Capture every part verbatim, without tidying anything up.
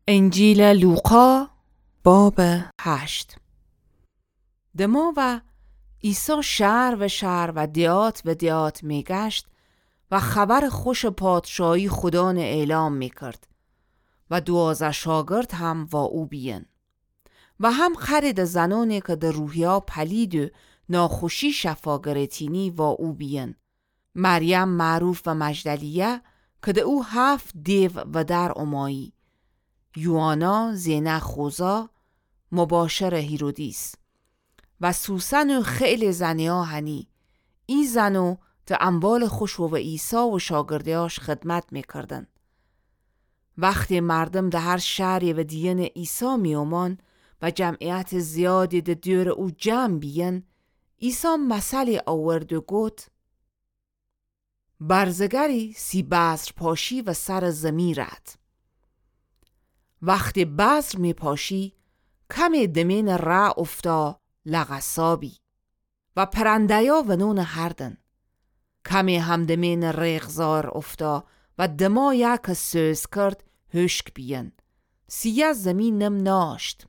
انجیلٚ لوقا، بابٚ هشت. دماوأ عیسی شهر و شهر و دیات و دیات میگشت و خبرٚ خوشٚ پادشاهی خودأنٚ اعلام میکرد و دوازده شاگرد هم وا او بیین. و هم قره‌دٚ زنأنی کی د روحیا پلید و ناخوشی شفا گره‌تینی وا او بیین. مریم معروف و مجدلیه کی د او هفت دیو ودر امایی. یوآنا، زینه خوزا، مباشرٚ هیرودیس. و سوسن و خیلی زنیا هنی. ای زنو د اموالٚ خوشو و عیسی و شاگرده‌یاش خدمت میکردن. وختی مردم د هر شهری و دیینٚ عیسی می‌امان و جمعیتٚ زیادی د دورٚ او جمع بیین، عیسی مثلی آورد و گفت: برزگری سی بذر پاشی و سرٚ زمی رد. وختی بذر می‌پاشی، کمی دمینٚ ره افتا لغسا بی و پرنده‌یا ونونٚ هردن. کمی هم دمینٚ ریغزار افتا و دمایا کی سوز کرد هشک بیین. سیه زمی نم ناشت.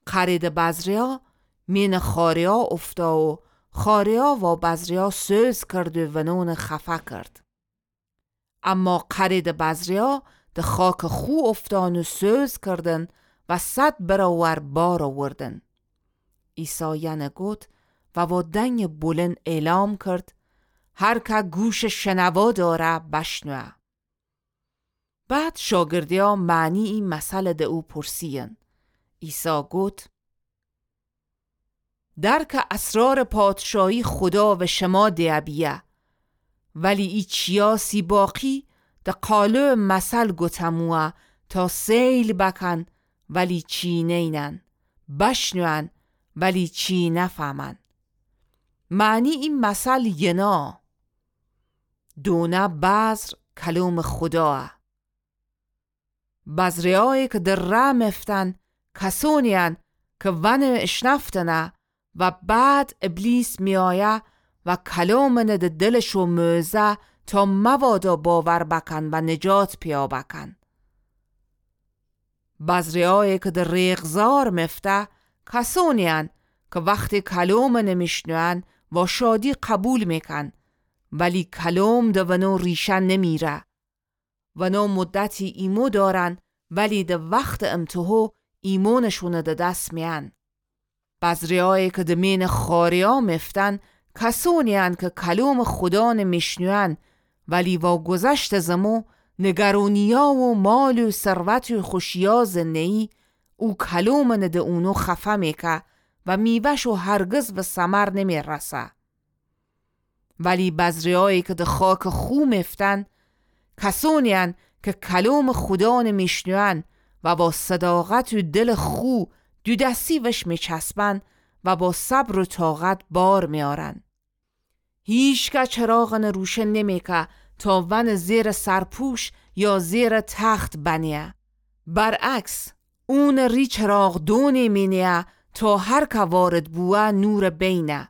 قره‌دٚ بذریا مینٚ خاریا افتا و خاریا وا بذریا سوز کرد و ونونٚ خفه کرد. اما قره‌دٚ بذریا د خاکٚ خو افتان و سوز کردن و صد برابر بار آوردن. عیسی یئن گفت و وا دنگٚ بلند اعلام کرد: هر که گوشٚ شنوا داره، بشنوه. بعد شاگردیا معنی ای مثل د او پرسیین. عیسی گفت: درکٚ اسرارٚ پادشاهی خودا و شما دیه بیه، ولی ای چیا سی باقی د قالو مثل گوتموه تا سیل بکن، ولی چی نینن، بشنون، ولی چی نفهمن. معنی ای مثل ینا: دونه بذر کلومٚ خوداه. بذره‌یایی کی د ره مفتن کسونی‌ان کی ونٚ اشنفتنه و بعد ابلیس می‌آیه و کلومٚنه د دلشو موزه تا مبادا باور بکن و نجات پیدا بکن. بذره‌یایی کی د ریغزار مفته کسونی‌ان کی وختی کلومٚنه میشنوئن وا شادی قبول می‌کن، ولی کلوم د ونو ریشه نمیره. ونو مدتی ایمو دارن، ولی د وختٚ امتحو ایمونشونه د دس میأن. بذره‌یایی کی د مینٚ خاریا مفتن کسونی‌ان کی کلومٚ خودانه میشنوئن، ولی وا گذشتٚ زمو نگرونیا و مال و ثروت و خوشیا زنده‌یی، او کلومٚنه د اونو خفه میکه و میوه‌شو هرگز و ثمر نمیرسه. ولی بذره‌یایی کی د خاکٚ خو مفتن کسونی‌ان کی کلومٚ خودانه میشنوئن و وا صداقت و دلٚ خو دودستی وش میچسبن و وا صبر و طاقت بار میارن. هیچکس چراغانه روشن نمیکه تا ونٚ زیرٚ سرپوش یا زیرٚ تخت بنه‌یه. برعکس، اونٚ ری چراغدونی مینه‌یه تا هر که وارد بوه نورٚ بینه.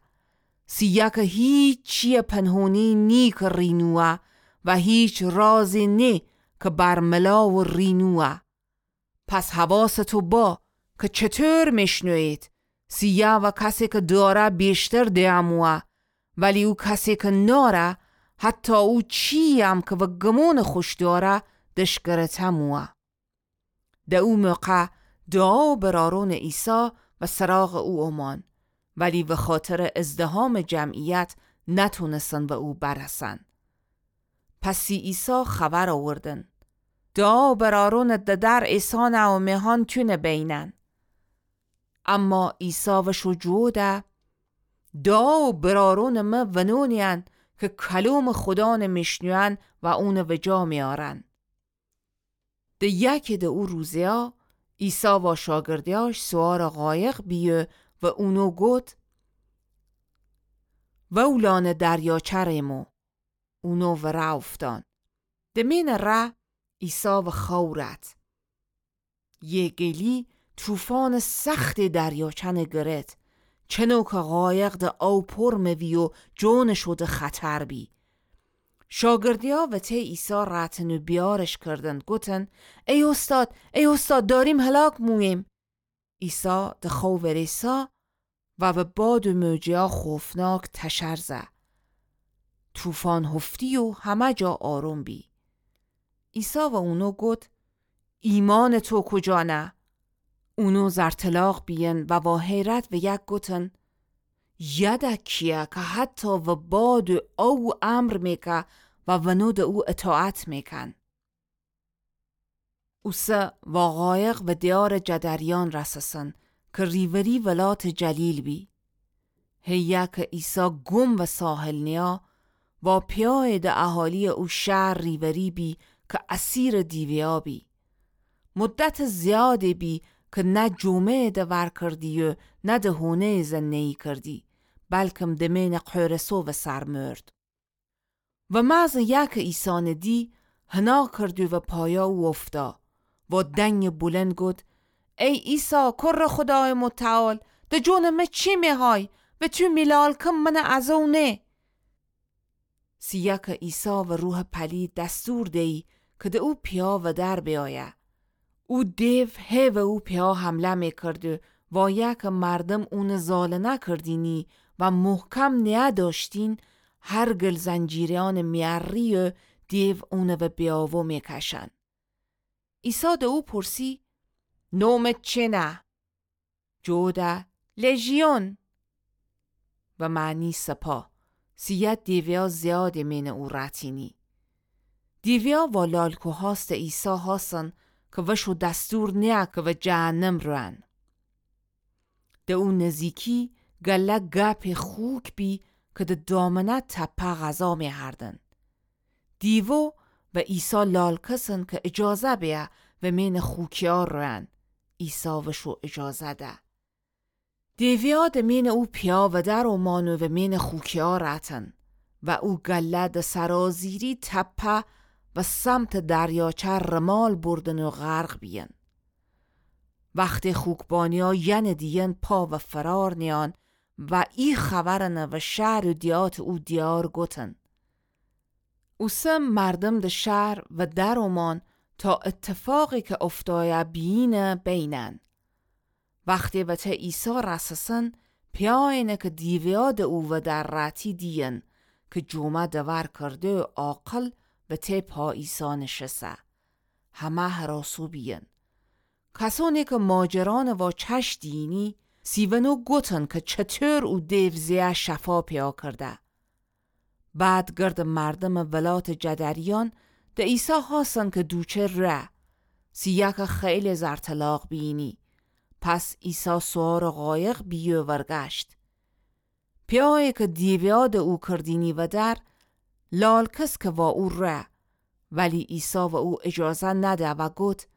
سیه کی هیچ چییٚ پنهونی نی کی ری نوه و هیچ رازی نی کی برملا و ری نوه. پس حواستو با کی چطور میشنویید، سیه و کسی کی داره بیشتر دئه موه، ولی او کسی کی ناره، حتی او چیی‌یم کی و گمونٚ خوش داره، دش گرته موه. د او موقع دعا و برارونٚ عیسی و سراغٚ او اومان، ولی وخاطرٚ ازدحامٚ جمعیت نتونستن و او برسن. پس سی عیسی خبر اوردن: دعا و برارونٚ ددر ایسانه و مهان تونه بینن. اما عیسی وشو جوده: دعا و برارونٚ مه ونونی‌ان کی کلومٚ خودانه میشنوئن و اونه وجا میارن. د یکی د او روزیا، عیسی وا شاگردیاش سوارٚ قایق بیه و اونو گوت: وولانٚ دریاچه ریمو. اونو وره اوفتان. د مینٚ ره عیسی وخوأورد. یه گلی طوفانٚ سختی دریاچه‌نه گرت، چنو کی قایق د آو پر موی و جونٚ شو د خطر بی. شاگردیا وته عیسی رأتن و بیارش کردن، گوتن: ای اوستاد، ای اوستاد، داریم هلاک موییم. عیسی د خو وریسا و و باد و موجیا خوفناک تشر زه. طوفان هفتی و همه جا آروم بی. عیسی و اونو گوت: ایمانٚ تو کجا نه؟ اونو زرطلاق بیین و وا حیرت و یک گوتن: یده کیه که حتی و باد و او امر میکه و ونو د او اطاعت میکن. اوسه وا قایق و دیارٚ جدریان رسسن که ریوری ولاتٚ جلیل بی. هیه که عیسی گم و ساحل نیا، وا پیایٚ د اهالیٚ او شهر ریوری بی که اسیرٚ دیویا بی. مدتٚ زیادی بی که نه جومه‌یٚ د ور کردی و نه د هونه‌یٚ زنه‌یی کردی، بلکم د مینٚ قورسو و سر مرد. و محض یکٚ عیسی ندی، حنا کرد و پایا او افتا، وا دنگٚ بلند گوت: ای عیسی، کرٚ خودایٚ متعال، د جونٚ مه چی میهای؟ و تو میلالکم منٚ ازو نه؟ سیه که عیسی و روحٚ پلید دستور دیی که د او پیا ودر بیایه. او دیو هی و او پیا حمله میکرد و وایه که مردم اونٚ زالنه کردینی و محکم نیه داشتین، هر گل زنجیریانٚ میأری و دیو اونٚ و بیاوو میکشن. عیسی د او پرسی: نومت چنه؟ جوده: لژیون، و معنی سپاه. سیه دیویا زیادی مینٚ او رأتینی. دیویا وا لالکوهاستٚ عیسی هاسن که وشو دستور نیه که و جهنم روئن. د او نزیکی گله گپٚ خوک بی که د دامنه تپه غذا میهردن. دیوو و عیسی لالکسن که اجازه بیه و مینٚ خوکیا روئن. عیسی وشو اجازه ده. دیویا د مینٚ او پیا ودر اومأن و مینٚ خوکیا رأتن و او گله د سرازیری تپه و سمتٚ دریاچه رمال بردن و غرق بیین. وختی خوکبانیا ینٚ دیین پا و فرار نیان و ای خبرنٚ و شهر و دیهاتٚ او دیار گوتن. اوسه مردم د شهر ودر اومأن تا اتفاقی که افتایه بیینه بینن. وختی وته عیسی رسسن، پیاینه که دیویا د او ودر رأتی دیین که جومه دور کرده و عاقل وته پا عیسی نشسه. همه هراسو بیین. کسانی که ماجرانٚ وا چش دیینی، سی ونو گوتن که چطور او دیو زیه شفا پیا کرده. بعد گردٚ مردمٚ ولاتٚ جدریان د عیسی هاسن که دوچه ره، سی یکه خیلی زرطلاق بیینی. پس عیسی سوارٚ قایق بیی و ورگشت. پیایی که دیویا د او کردینی ودر، لالکس که وا او ره، ولی عیسی و او اجازه نده و گوت: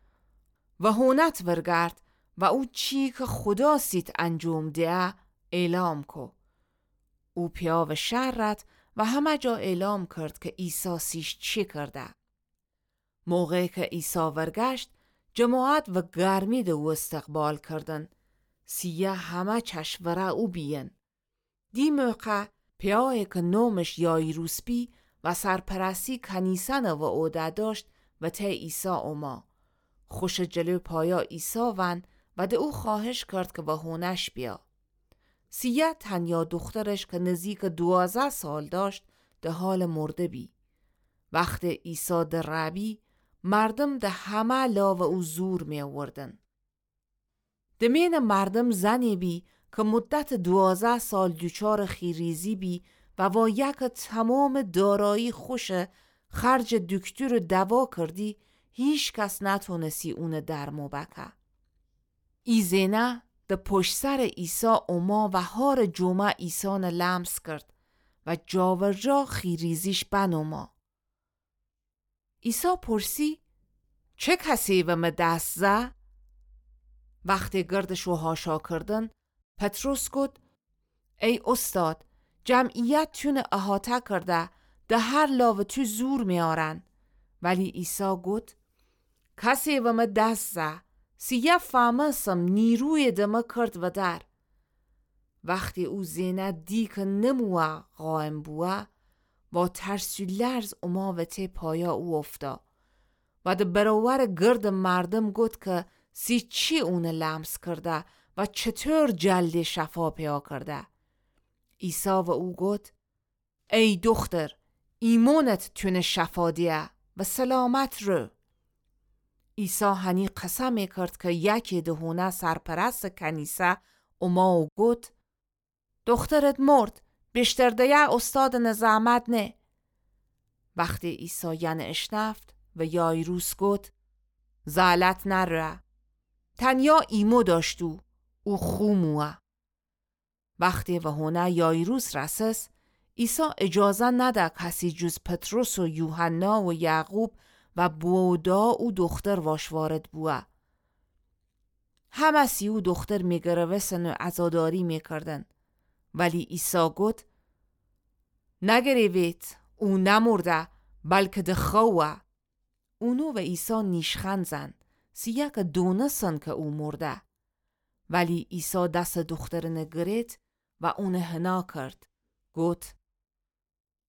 و هونت ورگرد و او چی که خودا سیت انجوم دهه، اعلام کو. او پیا و شهر رت و همه جا اعلام کرد که عیسی سیش چی کرده. موقعی که عیسی ورگشت، جماعت و گرمی د او استقبال کردن، سی یه همه چش وره او بیین. دی موقع پیایی که نومش یایروس بی و سرپرستی کنیسه‌نه و عهده داشت، وته عیسی اوما. خوشٚ جلو پایا عیسی ون و د او خواهش کرد که و هونش بیا. سی یه تنیا دوخترش که نزیکٚ دوازده سال داشت، د حالٚ مرده بی. وختی عیسی د ره بی، مردم د همه لا و او زور می اوردن. د مینٚ مردم زنی بی که مدتٚ دوازده سال دوچارٚ خیریزی بی و وا یکه تمامٚ دارایی خوشه خرجٚ دکتر و دوا کردی، هیکس نتونستی اونٚ درمو بکه. ای زنه د پشت سرٚ عیسی اوما و هارٚ جومه عیسانٚ لمس کرد و جاورجا خیریزیش بنوما. عیسی پرسی: چه کسی و مه دست زه؟ وختی گردشو هاشا کردن، پطرس گفت: ای استاد، جمعیت تونه احاطه کرده، د هر لا و تو زور میارن. ولی عیسی گفت: کسی و مه دست زه، سی یه فهمستم نیروی د مه کرد ودر. وختی او زنه دی که نموه قایم بوه، وا ترس و لرز اوما و ته پایا او اوفتا. و د برابرٚ گردٚ مردم گفت که سی چی اونٚ لمس کرده و چطور جلدی شفا پیدا کرده. عیسی و او گفت: ای دختر، ایمانت تونه شفا دیه و سلامت رو. عیسی هنی قسم کرد که یکی د هونه سرپرستٚ کنیسه اوما و گفت: دخترت مرد، بیشتر دیه استادٚ زحمت نه. وختی عیسی ینه اشنفت و یایروس گفت: زالت نره، تنیا ایمو داشتو، او خو موه. وختی و هونه یایروس رسس، عیسی اجازه نده کسی جز پطرس و یوحنا و یعقوب و بودا او دختر واش وارد بوه. همه سی او دختر میگروستن و عزاداری میکردن. ولی عیسی گفت: نگریوید، او نمرده، بلکه د خوأوه. اونو و عیسی نیشخند زن، سیه که دونستن که او مرده. ولی عیسی دسٚ دخترنه گرفت و اونه حنا کرد. گفت: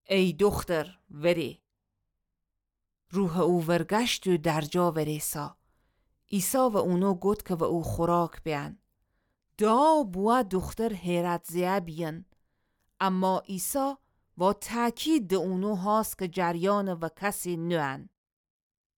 ای دختر، وری. روحٚ او ورگشت و درجا وریسا. عیسی و اونو گفت که و او خوراک بیأن. دعا بوه دختر حیرت زیه بیین. اما عیسی وا تأکید د اونو هاست که جریانٚ و کسی نوئن.